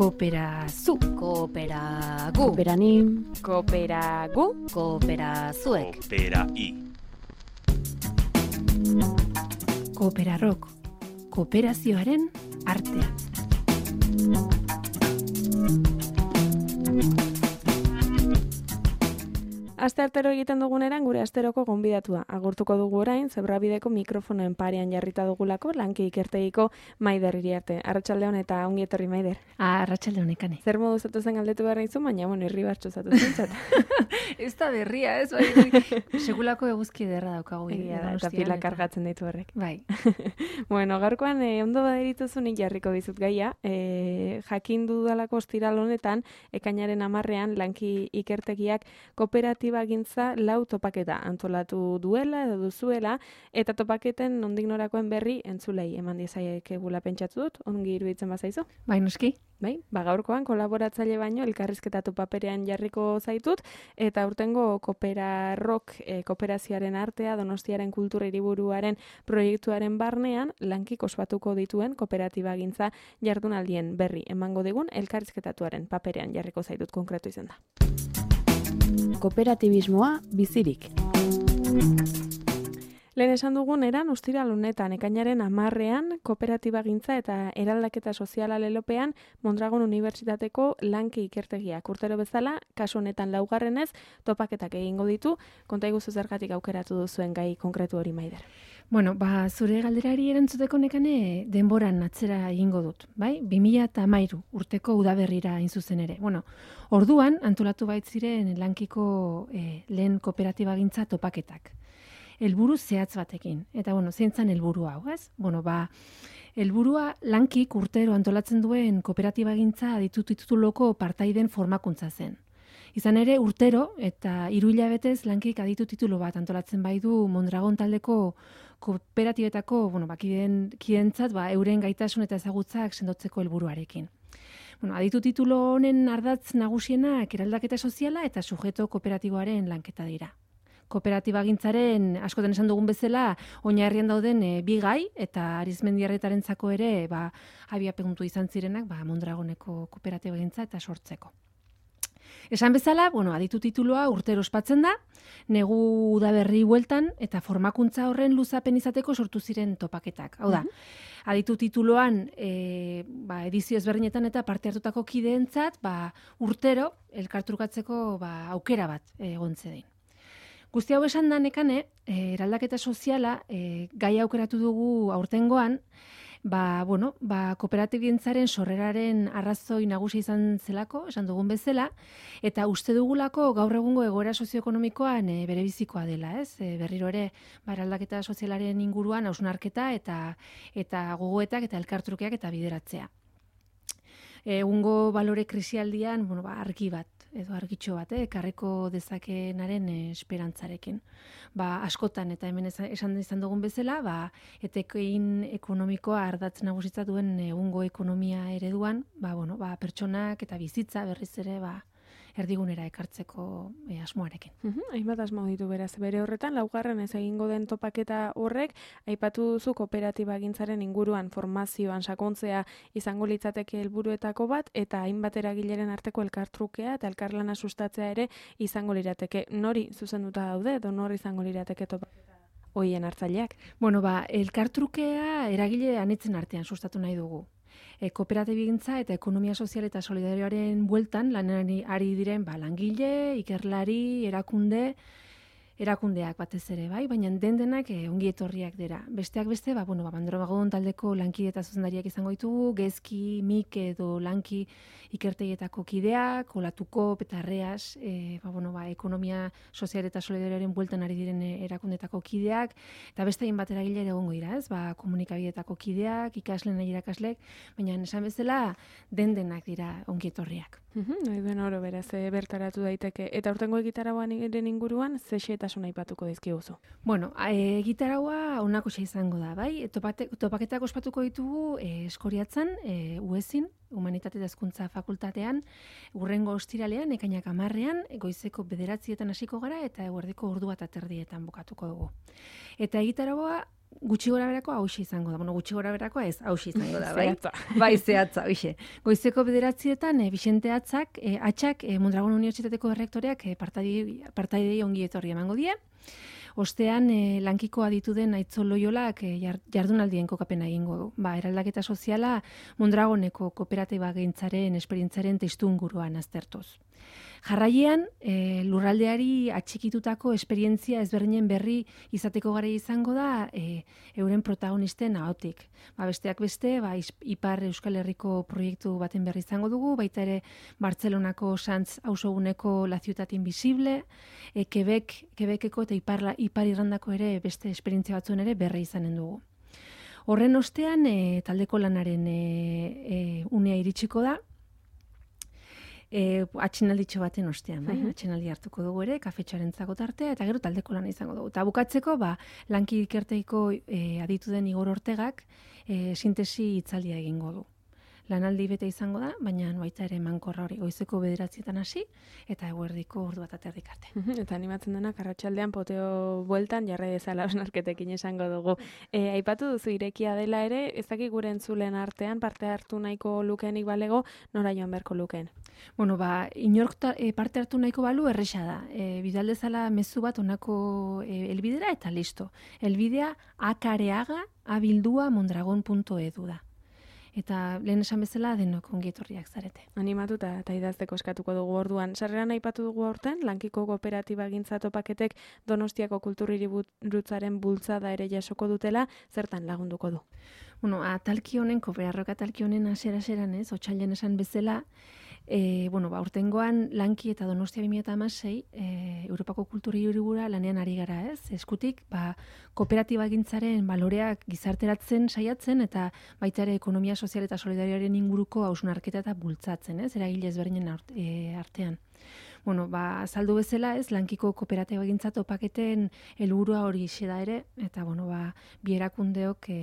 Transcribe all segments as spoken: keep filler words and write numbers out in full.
Kooperazu, Kooperagu, kooperanim, Kooperagu, Kooperazuek, Koopera-i. Kooperarrok, kooperazioaren artea. Aste artero egiten duguneran gure asteroko gonbidatua. Agurtuko dugu orain, Zebrabideko mikrofonoen parean jarrita dugulako, Lanki ikertegiko Maider Iriarte. Arratsaldeon eta ongi etorri, Maider. Ah, arratsaldeon ekane. Zer modu zatu zen galdetu behar nizu, baina, bueno, irribartxo zatu zentzat. Ez da berria, ez? Bai, segulako eguzki ederra daukagu. Egia da, eta pila kargatzen ditu horrek. Bai. Bueno, gaurkoan eh, ondo baderituzunik jarriko dizut gaia. Eh, jakin dudalako ostiral honetan, ekainaren hamarrean Lanki ikertegiak kooperatiba gintza lau topaketa antolatu duela edo duzuela, eta topaketen nondik norakoen berri entzulei eman diezaiekegula pentsatu dut, ongi iruditzen bazaizu? Bai, noski. Bai, ba gaurkoan kolaboratzaile baino elkarrizketatu paperean jarriko zaitut, eta urtengo Kooperarrok e, kooperazioaren artea Donostiaren kultura hiriburuaren proiektuaren barnean lankik ospatuko dituen kooperatiba gintza jardunaldien berri emango digun elkarrizketatuaren paperean jarriko zaitut konkretu izan da. Kooperatibismoa bizirik. Lehen esan dugun eran ostiral honetan ekainaren hamarrean kooperatiba gintza eta eraldaketa soziala lelopean Mondragon Unibertsitateko Lanki ikertegiak urtero bezala, kasu honetan laugarrenez, topaketak egingo ditu. Konta iguzu zergatik aukeratu duzuen gai konkretu hori, Maider. Bueno, ba, zure galderari erantzuteko nekane denboran atzera egingo dut, bai? bi mila hamairu urteko udaberrira hain zuzen ere. Bueno, orduan antolatu baitziren Lankiko eh, lehen kooperatiba gintza topaketak. Helburu zehatz batekin. Eta bueno, zeintzan helburu hau, ez? Bueno, ba, helburua Lankik urtero antolatzen duen kooperatiba gintza aditu tituloko partaiden formakuntza zen. Izan ere, urtero eta hiru hilabetez Lankik aditu titulu bat antolatzen bai du Mondragon taldeko kooperatibetako, bueno, ba, kideen, kideentzat, ba, euren gaitasun eta ezagutzak sendotzeko helburuarekin. Bueno, aditu titulu honen ardatz nagusienak eraldaketa soziala eta sujeto kooperatiboaren lanketa dira. Kooperatiba gintzaren, askotan esan dugun bezala, oinarrian dauden e, bi gai eta Arizmendiarretarentzako ere ba, abiapuntu izan zirenak ba, Mondragoneko kooperatiba gintza eta sortzeko. Esan bezala, bueno, aditu titulua urtero ospatzen da, negu udaberri bueltan eta formakuntza horren luzapen izateko sortu ziren topaketak. Hau da, aditu tituloan e, ba, edizio ezberdinetan eta parte hartutako kideentzat ba, urtero elkartrukatzeko ba, aukera bat egon zedin. Guzti hau esan da nekane, e, eraldaketa soziala e, gai aukeratu dugu aurtengoan, ba, bueno, ba, kooperatibientzaren sorreraren arrazoi nagusi izan zelako, esan dugun bezala, eta uste dugulako gaur egungo egoera sozioekonomikoan e, berebizikoa dela, ez? E, berriro ere, ba, eraldaketa sozialaren inguruan hausnarketa eta eta gogoetak eta elkartrukeak eta bideratzea. Egungo balore krisialdian, bueno, ba, argi bat, edo argitxo bat, eh, ekarriko dezakenaren eh, esperantzarekin. Ba, askotan, eta hemen esan izan dugun bezala, ba, etekin ekonomikoa ardatz nagusitza duen egungo ekonomia ereduan, ba, bueno, ba, pertsonak eta bizitza berriz ere, ba, erdigunera ekartzeko e, asmoarekin. Uhum, hainbat asmo ditu beraz. Bere horretan, laugarren ez egingo den topaketa horrek, aipatu duzu kooperatiba gintzaren inguruan formazioan sakontzea izango litzateke helburuetako bat, eta hainbat eragileren arteko elkartrukea eta elkarlana sustatzea ere izango lirateke. Nori zuzenduta daude, edo nori izango lirateke topaketa hoien hartzaileak? Bueno, ba, elkartrukea eragile anitzen artean sustatu nahi dugu. E, kooperatibigintza eta ekonomia sozial eta solidarioaren bueltan lanari ari diren ba, langile, ikerlari, erakunde, erakundeak batez ere, bai, baina den-denak e, ongi etorriak dira. Besteak beste, ba, bueno, ba, Mondragon taldeko lanki eta zuzendariak izango ditugu, Gezki, Mik edo Lanki ikertegietako kideak, Olatuko, Petarreas, e, ba, bueno, ba, ekonomia sozial eta solidarioaren bueltan ari diren erakundetako kideak, eta beste hainbat eragile ere egongo dira, ez? Ba, komunikabideetako kideak, ikasleen nahi irakaslek, baina esan bezala den-denak dira ongi etorriak. Uhum, nahi duen oro beraz, e, bertaratu daiteke. Eta urtengo egitarauan inguruan, ze xehetasun aipatuko dizkiguzu? Bueno, e, egitaraua honako izango da, bai? Topate, topaketak ospatuko ditugu e, Eskoriatzan, e, UESin, Humanitate eta Hezkuntza Fakultatean, urrengo ostiralean, ekainak hamarrean, goizeko bederatzietan hasiko gara eta eguerdiko ordu bat aterdietan bukatuko dugu. Eta egitaraua gutxi gora berako hauxe izango da. Bueno, gutxi gora berako ez, hauxe izango da, bai? Zehatza. Bai, zehatza, hoxe. Goizeko bederatzietan, e, Bixente Atzak, e, Atxak, e, Mondragon Unibertsitateko errektoreak e, partaidei ongi etorri emango die. Ostean, e, lankiko aditu den Aitzo Loiolak e, jardunaldien kokapena egingo du. Ba, eraldaketa soziala Mondragoneko kooperatiba gintzaren esperientzaren testuinguruan aztertuz. Jarraian, e, lurraldeari atxikitutako esperientzia ezberdinen berri izateko gara izango da e, euren protagonisten ahotik. Ba, besteak beste, ba, Ipar Euskal Herriko proiektu baten berri izango dugu, baita ere Bartzelonako Sants auzoguneko La Ciutat Invisible, e, Quebec, Quebeceko eta Ipar, Ipar Irlandako ere beste esperientzia batzuen ere berri izanen dugu. Horren ostean, e, taldeko lanaren e, e, unea iritsiko da, E, atxinalditxo baten ostean, bai? Uh-huh. Atxinaldi hartuko dugu ere, kafetxoaren zago tartea, eta gero taldeko lana izango dugu. Eta bukatzeko, ba, lanki ikerteiko e, aditu den Igor Ortegak e, sintesi hitzaldia egingo du. Lanaldi bete izango da, baina baita ere mankorra hori goizeko bederatzietan hasi, eta eguerdiko ordu bat aterdik arte. Uh-huh. Eta animatzen dena, karratxaldean poteo bueltan, jarra dezala osnarketekin esango dugu. E, aipatu duzu irekia dela ere, ez dakik gure entzulen artean, parte hartu nahiko lukeenik balego, nora joan beharko lukeen? Bueno, ba, inork ta, e, parte hartu nahiko balu erresa da. E, bidaldezala mezu bat onako e, elbidera eta listo. Elbidea akareaga abildua mondragon puntu edu da. Eta lehen esan bezala denok ongi etorriak zarete. Animatuta eta idazteko eskatuko dugu orduan. Sarreran aipatu dugu aurten, lankiko kooperatiba gintza topaketek Donostiako kulturhiriburutzaren bultzada ere jasoko dutela, zertan lagunduko du? Bueno, atalki honen, kooperarroka atalki honen asera-aseran ez, otsailean esan bezala, E, bueno, ba, urtengoan lanki eta Donostia bi mila hamasei e, Europako kulturhiribura lanean ari gara, ez? Eskutik, ba, kooperatiba gintzaren baloreak gizarteratzen saiatzen eta baita ere ekonomia sozial eta solidarioaren inguruko hausnarketa eta bultzatzen, ez? Eragile ezberdinen e, artean. Bueno, ba, azaldu bezala, ez, lankiko kooperatiba gintza topaketen helburua hori da ere, eta bueno, ba, bi erakundeok e,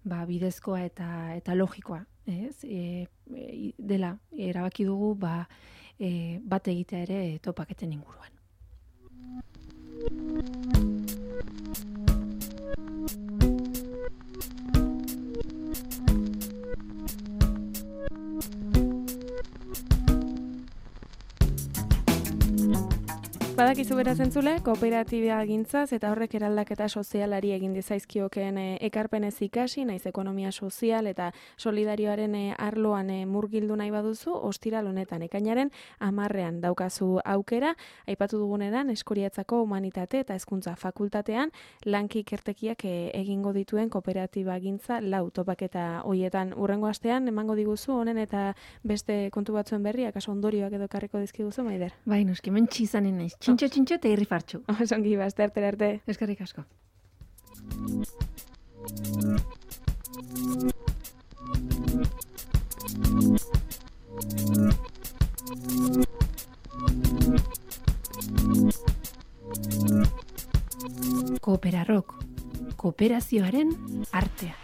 ba, bidezkoa eta eta logikoa, ez? E, e, dela erabaki dugu ba, e, bat egitea ere topaketen inguruan. Badakizu beraz entzule, kooperatiba gintzaz eta horrek eraldaketa sozialari egin dizaizkiokeen e, ekarpenez ikasi, naiz ekonomia sozial eta solidarioaren e, arloan e, murgildu nahi baduzu, ostiral honetan ekainaren hamarrean daukazu aukera, aipatu duguneran Eskoriatzako humanitate eta hezkuntza fakultatean lanki ikertekiak e, egingo dituen kooperatiba gintza lau topaketa hoietan urrengo astean emango diguzu honen eta beste kontu batzuen berri, akaso ondorioak edo karriko dizkiguzu, Maider? Bai, noski, men txizanen naiz. Txintxo, txintxo eta irri fartxu. Osongi, bazte arte arte. Eskerrik asko. Kooperarrok, kooperazioaren artea.